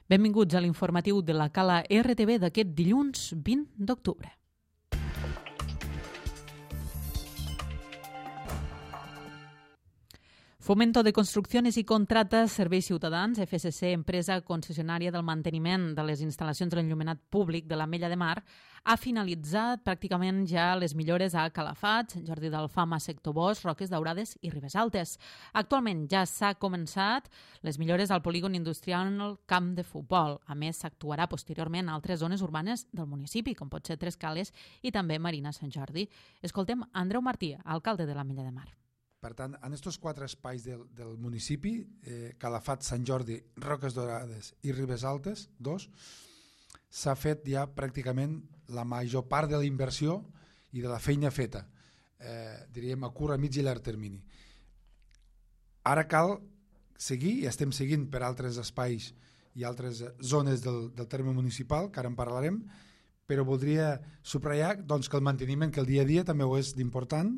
Benvinguts a l'informatiu de la Cala RTV d'aquest dilluns 20 d'octubre. Fomento de Construcciones y Contratas Serveis Ciutadans, FSC, empresa concessionària del manteniment de les instal·lacions de l'enllumenat públic de l'Ametlla de Mar, ha finalitzat pràcticament ja les millores a Calafat, Sant Jordi d'Alfama, Sector Bosch, Roques Daurades i Ribes Altes. Actualment ja s'ha començat les millores al polígon industrial Camp de Futbol. A més, s'actuarà posteriorment a altres zones urbanes del municipi, com pot ser Trescales i també Marina Sant Jordi. Escoltem Andreu Martí, alcalde de l'Ametlla de Mar. Per tant, en aquests quatre espais del municipi, Calafat, Sant Jordi, Roques Daurades i Ribes Altes, s'ha fet ja pràcticament la major part de la inversió i de la feina feta, diríem a curt, a mig i llarg termini. Ara cal seguir, i estem seguint per altres espais i altres zones del terme municipal, que ara en parlarem, però voldria subratllar doncs, que el manteniment, que el dia a dia també ho és d'important.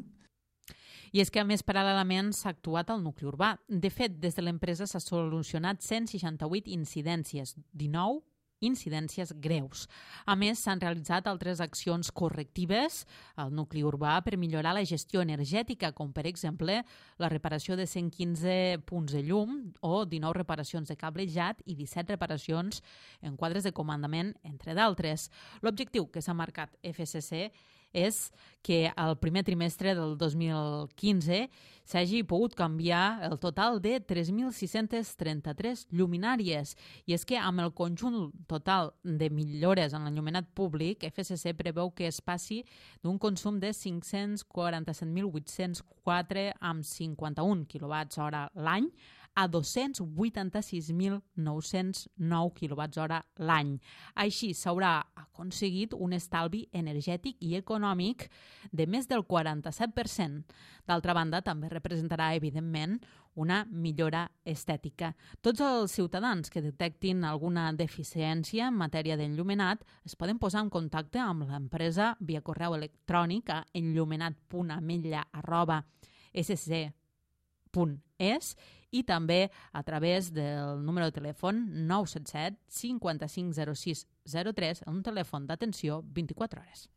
I és que, a més, paral·lelament s'ha actuat al nucli urbà. De fet, des de l'empresa s'ha solucionat 168 incidències, 19 incidències greus. A més, s'han realitzat altres accions correctives al nucli urbà per millorar la gestió energètica, com per exemple la reparació de 115 punts de llum o 19 reparacions de cablejat i 17 reparacions en quadres de comandament, entre d'altres. L'objectiu que s'ha marcat FSC és que al primer trimestre del 2015 s'hagi pogut canviar el total de 3.633 lluminàries. I és que amb el conjunt total de millores en l'enllumenat públic, FSC preveu que es passi d'un consum de 547.804 amb 51 kWh l'any a 286.909 kWh l'any. Així s'haurà aconseguit un estalvi energètic i econòmic de més del 47%. D'altra banda, també representarà, evidentment, una millora estètica. Tots els ciutadans que detectin alguna deficiència en matèria d'enllumenat es poden posar en contacte amb l'empresa via correu electrònic a enllumenat.ametlla@sc.es i també a través del número de telèfon 977 55 06 03, un telèfon d'atenció 24 hores.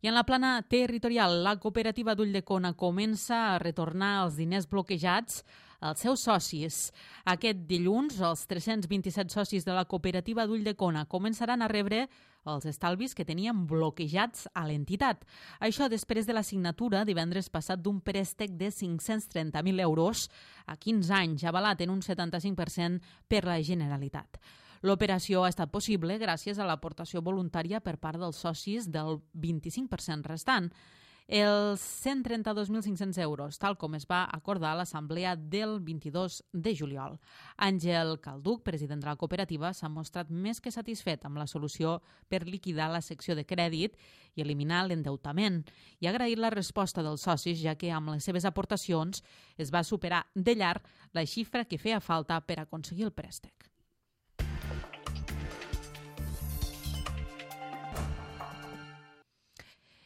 I en la plana territorial, la cooperativa d'Ulldecona comença a retornar els diners bloquejats als seus socis. Aquest dilluns, els 327 socis de la cooperativa d'Ulldecona començaran a rebre els estalvis que tenien bloquejats a l'entitat. Això després de la signatura divendres passat d'un préstec de 530.000 euros a 15 anys, avalat en un 75% per la Generalitat. L'operació ha estat possible gràcies a l'aportació voluntària per part dels socis del 25% restant. Els 132.500 euros, tal com es va acordar a l'assemblea del 22 de juliol. Àngel Calduc, president de la cooperativa, s'ha mostrat més que satisfet amb la solució per liquidar la secció de crèdit i eliminar l'endeutament, i ha agraït la resposta dels socis, ja que amb les seves aportacions es va superar de llarg la xifra que feia falta per aconseguir el préstec.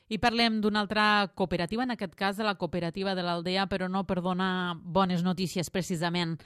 I parlem d'una altra cooperativa, en aquest cas de la cooperativa de l'Aldea, però no per donar bones notícies precisament.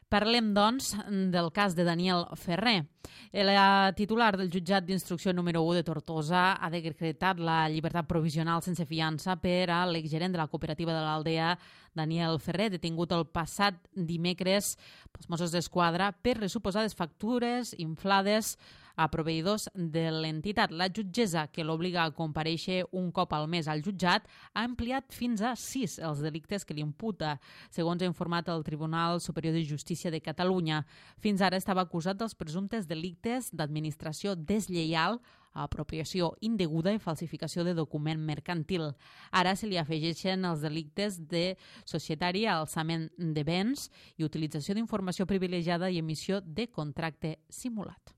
Parlem, doncs, del cas de Daniel Ferrer. La titular del jutjat d'instrucció número 1 de Tortosa ha decretat la llibertat provisional sense fiança per a l'exgerent de la cooperativa de l'Aldea, Daniel Ferrer, detingut el passat dimecres pels Mossos d'Esquadra per les suposades factures inflades a proveïdors de l'entitat. La jutgessa, que l'obliga a comparèixer un cop al mes al jutjat, ha ampliat fins a 6 els delictes que li imputa, segons ha informat el Tribunal Superior de Justícia de Catalunya. Fins ara estava acusat dels presumptes delictes d'administració deslleial, apropiació indeguda i falsificació de document mercantil. Ara se li afegeixen els delictes de societari, alçament de béns i utilització d'informació privilegiada i emissió de contracte simulat.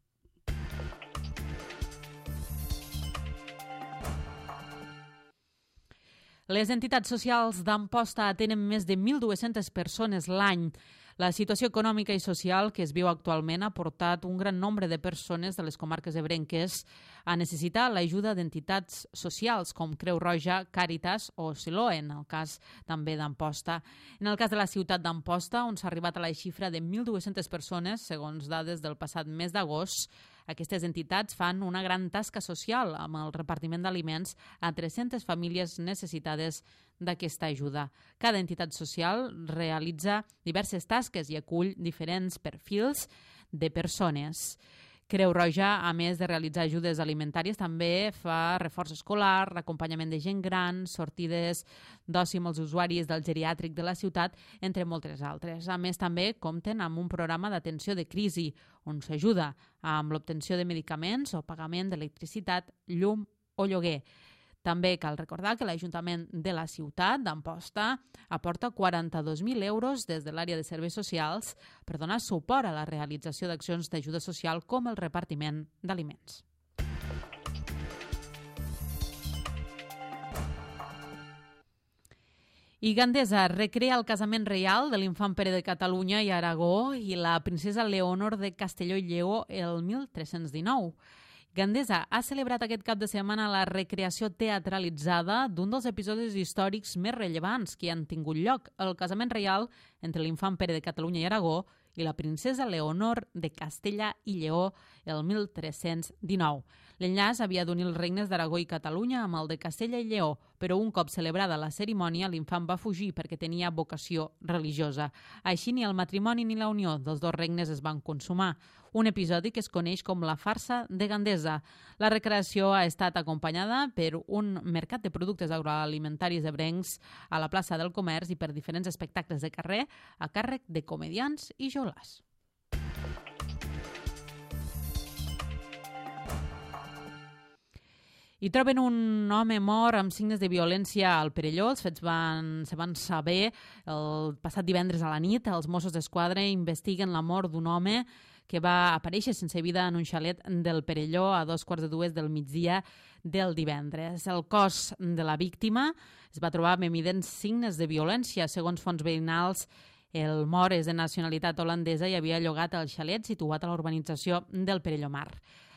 Les entitats socials d'Amposta atenen més de 1.200 persones l'any. La situació econòmica i social que es viu actualment ha portat un gran nombre de persones de les comarques ebrenques a necessitar l'ajuda d'entitats socials com Creu Roja, Càritas o Siloe, en el cas també d'Amposta. En el cas de la ciutat d'Amposta, on s'ha arribat a la xifra de 1.200 persones, segons dades del passat mes d'agost, aquestes entitats fan una gran tasca social amb el repartiment d'aliments a 300 famílies necessitades d'aquesta ajuda. Cada entitat social realitza diverses tasques i acull diferents perfils de persones. Creu Roja, a més de realitzar ajudes alimentàries, també fa reforç escolar, acompanyament de gent gran, sortides d'oci amb els usuaris del geriàtric de la ciutat, entre moltes altres. A més, també compten amb un programa d'atenció de crisi, on s'ajuda amb l'obtenció de medicaments o pagament d'electricitat, llum o lloguer. També cal recordar que l'Ajuntament de la ciutat d'Amposta aporta 42.000 euros des de l'àrea de serveis socials per donar suport a la realització d'accions d'ajuda social com el repartiment d'aliments. I Gandesa recrea el casament reial de l'infant Pere de Catalunya i Aragó i la princesa Leonor de Castelló i Lleó el 1319. Gandesa ha celebrat aquest cap de setmana la recreació teatralitzada d'un dels episodis històrics més rellevants que han tingut lloc, el casament reial entre l'infant Pere de Catalunya i Aragó i la princesa Leonor de Castella i Lleó el 1319. L'enllaç havia d'unir els regnes d'Aragó i Catalunya amb el de Castella i Lleó, però un cop celebrada la cerimònia, l'infant va fugir perquè tenia vocació religiosa. Així, ni el matrimoni ni la unió dels dos regnes es van consumar, un episodi que es coneix com la farsa de Gandesa. La recreació ha estat acompanyada per un mercat de productes agroalimentaris ebrencs a la plaça del Comerç i per diferents espectacles de carrer a càrrec de comediants i joglars. I troben un home mort amb signes de violència al Perelló. Els fets se van saber el passat divendres a la nit. Els Mossos d'Esquadra investiguen la mort d'un home que va aparèixer sense vida en un xalet del Perelló a 2:45 del migdia del divendres. El cos de la víctima es va trobar amb evidents signes de violència. Segons fonts veïnals, el mort és de nacionalitat holandesa i havia llogat el xalet situat a la urbanització del Perelló Mar.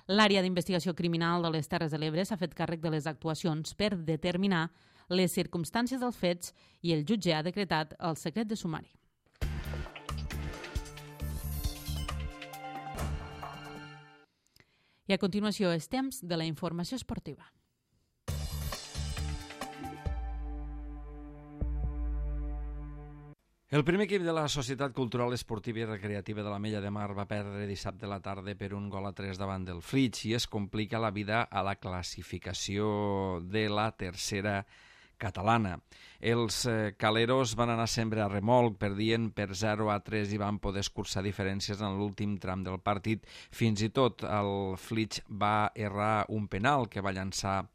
L'àrea d'investigació criminal de les Terres de l'Ebre s'ha fet càrrec de les actuacions per determinar les circumstàncies dels fets i el jutge ha decretat el secret de sumari. I a continuació és temps de la informació esportiva. El primer equip de la Societat Cultural Esportiva i Recreativa de l'Ametlla de Mar va perdre dissabte a la tarda per 1-3 davant del Flix i es complica la vida a la classificació de la tercera catalana. Els caleros van anar sempre a remolc, perdien per 0-3 i van poder escurçar diferències en l'últim tram del partit. Fins i tot el Flix va errar un penal que va llançar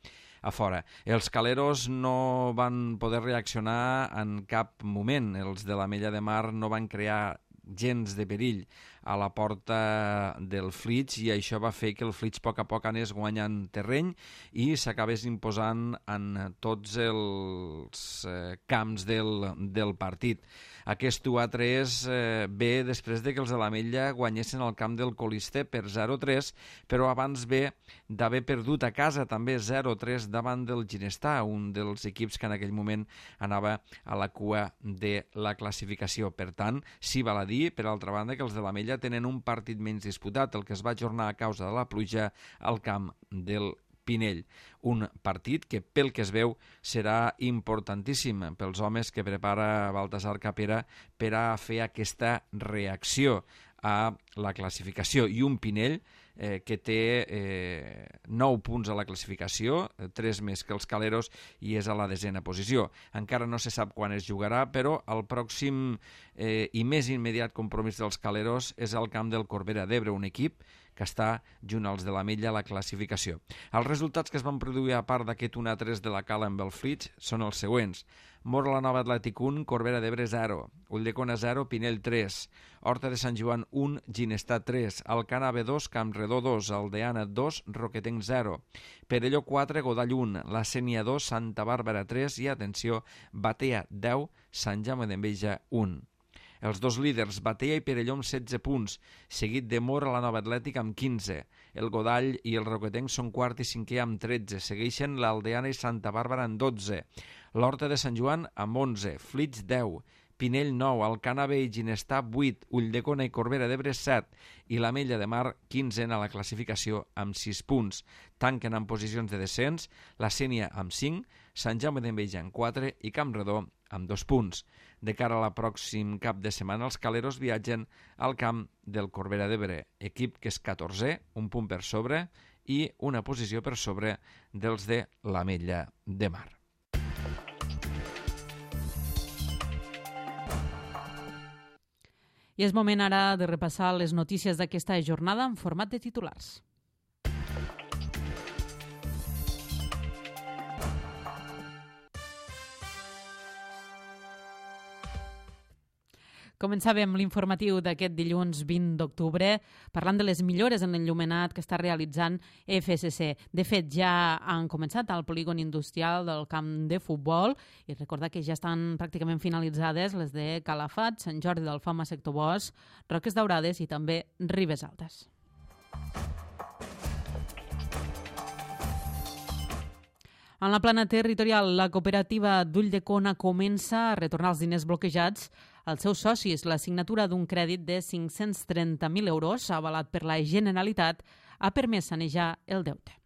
a fora. Els caleros no van poder reaccionar en cap moment. Els de l'Ametlla de Mar no van crear gens de perill a la porta del Flix i això va fer que el Flix a poc anés guanyant terreny i s'acabés imposant en tots els camps del partit. Aquest 1-3 ve després de que els de l'Ametlla guanyessin el camp del Colister per 0-3, però abans ve d'haver perdut a casa també 0-3 davant del Ginestà, un dels equips que en aquell moment anava a la cua de la classificació. Per tant, sí val a dir, per altra banda, que els de l'Ametlla tenen un partit menys disputat, el que es va ajornar a causa de la pluja al camp del Pinell. Un partit que, pel que es veu, serà importantíssim pels homes que prepara Baltasar Capera per a fer aquesta reacció a la classificació. I un Pinell que té 9 punts a la classificació, 3 més que els caleros, i és a la 10a posició. Encara no se sap quan es jugarà, però el pròxim i més immediat compromís dels caleros és el camp del Corbera d'Ebre, un equip que està junt als de l'Ametlla a la classificació. Els resultats que es van produir a part d'aquest 1-3 de la Cala amb el Flix són els següents. Móra la Nova Atlètic 1, Corbera d'Ebre 0, Ulldecona 0, Pinell 3, Horta de Sant Joan 1, Ginestar 3, Alcanave 2, Campredó 2, Aldeana 2, Roquetenc 0, Perelló 4, Godall 1, La Sénia 2, Santa Bàrbara 3 i, atenció, Batea 10, Sant Jaume d'Enveja 1. Els dos líders, Batea i Perelló amb 16 punts, seguit de Móra la Nova Atlètic amb 15. El Godall i el Roquetenc són quart i cinquè amb 13. Segueixen l'Aldeana i Santa Bàrbara amb 12. L'Horta de Sant Joan amb 11. Flix 10. Pinell 9. Alcanave i Ginestar 8. Ulldecona i Corbera d'Ebre 7. I l'Ametlla de Mar 15 a la classificació amb 6 punts. Tanquen en posicions de descens la Sénia amb 5, Sant Jaume d'Enveja amb 4 i Campredó amb 2 punts. De cara a la pròxim cap de setmana, els caleros viatgen al camp del Corbera d'Ebre, equip que és 14è, un punt per sobre, i una posició per sobre dels de l'Ametlla de Mar. I és moment ara de repassar les notícies d'aquesta jornada en format de titulars. Començàvem l'informatiu d'aquest dilluns 20 d'octubre parlant de les millores en l'enllumenat que està realitzant FSC. De fet, ja han començat al polígon industrial del camp de futbol i recordar que ja estan pràcticament finalitzades les de Calafat, Sant Jordi d'Alfama, Sector Bosch, Roques Daurades i també Ribes Altes. En la plana territorial, la cooperativa d'Ulldecona comença a retornar els diners bloquejats als seus socis. La signatura d'un crèdit de 530.000 euros, avalat per la Generalitat, ha permès sanejar el deute.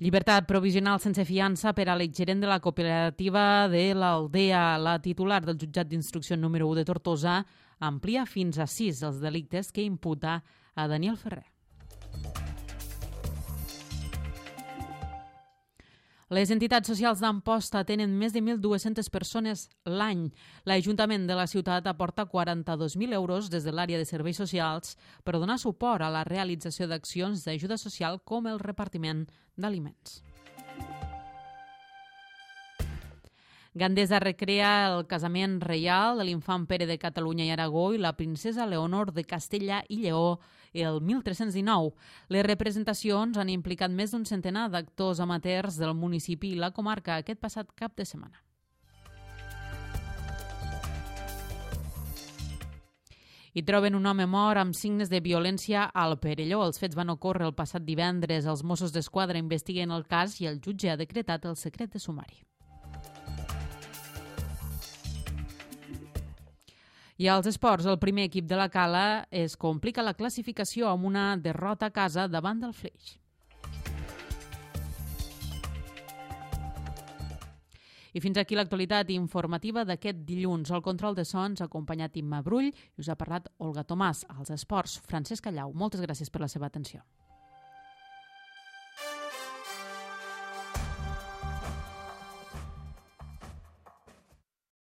Llibertat provisional sense fiança per a l'exgerent de la cooperativa de l'Aldea. La titular del jutjat d'instrucció número 1 de Tortosa amplia fins a 6 els delictes que imputa a Daniel Ferrer. Les entitats socials d'Amposta tenen més de 1.200 persones l'any. L'Ajuntament de la ciutat aporta 42.000 euros des de l'àrea de serveis socials per donar suport a la realització d'accions d'ajuda social com el repartiment d'aliments. Gandesa recrea el casament reial de l'infant Pere de Catalunya i Aragó i la princesa Leonor de Castella i Lleó el 1319. Les representacions han implicat més d'un centenar d'actors amateurs del municipi i la comarca aquest passat cap de setmana. I troben un home mort amb signes de violència al Perelló. Els fets van ocórrer el passat divendres. Els Mossos d'Esquadra investiguen el cas i el jutge ha decretat el secret de sumari. I als esports, el primer equip de la Cala es complica la classificació amb una derrota a casa davant del Flix. I fins aquí l'actualitat informativa d'aquest dilluns. El control de sons ha acompanyat Imma Brull i us ha parlat Olga Tomàs. Als esports, Francesc Callau. Moltes gràcies per la seva atenció.